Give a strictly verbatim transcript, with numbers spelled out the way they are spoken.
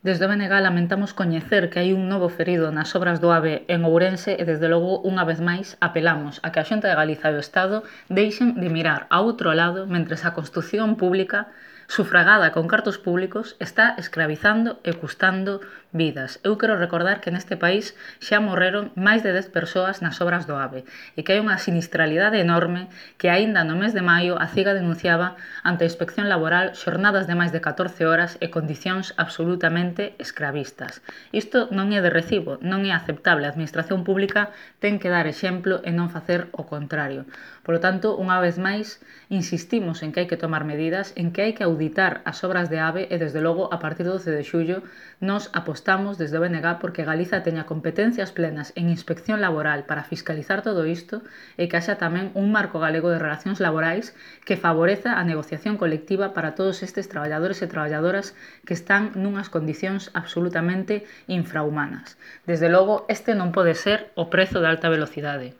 Desde o B N G lamentamos coñecer que hai un novo ferido nas obras do AVE en Ourense e, desde logo, unha vez máis, apelamos a que a Xunta de Galiza e o Estado deixen de mirar a outro lado mentres a construción pública, sufragada con cartos públicos, está escravizando e custando vidas. Eu quero recordar que neste país xa morreron máis de dez persoas nas obras do AVE e que hai unha sinistralidade enorme que aínda no mes de maio a CIGA denunciaba ante a Inspección Laboral xornadas de máis de catorce horas e condicións absolutamente escravistas. Isto non é de recibo, non é aceptable. A Administración Pública ten que dar exemplo e non facer o contrario. Polo tanto, unha vez máis, insistimos en que hai que tomar medidas, en que hai que auditar as obras de AVE e, desde logo, a partir do doce de xullo, nos apostamos desde o B N G porque Galiza teña competencias plenas en inspección laboral para fiscalizar todo isto e que haxa tamén un marco galego de relacións laborais que favoreza a negociación colectiva para todos estes traballadores e traballadoras que están nunhas condicións absolutamente infrahumanas. Desde logo, este non pode ser o prezo da alta velocidade.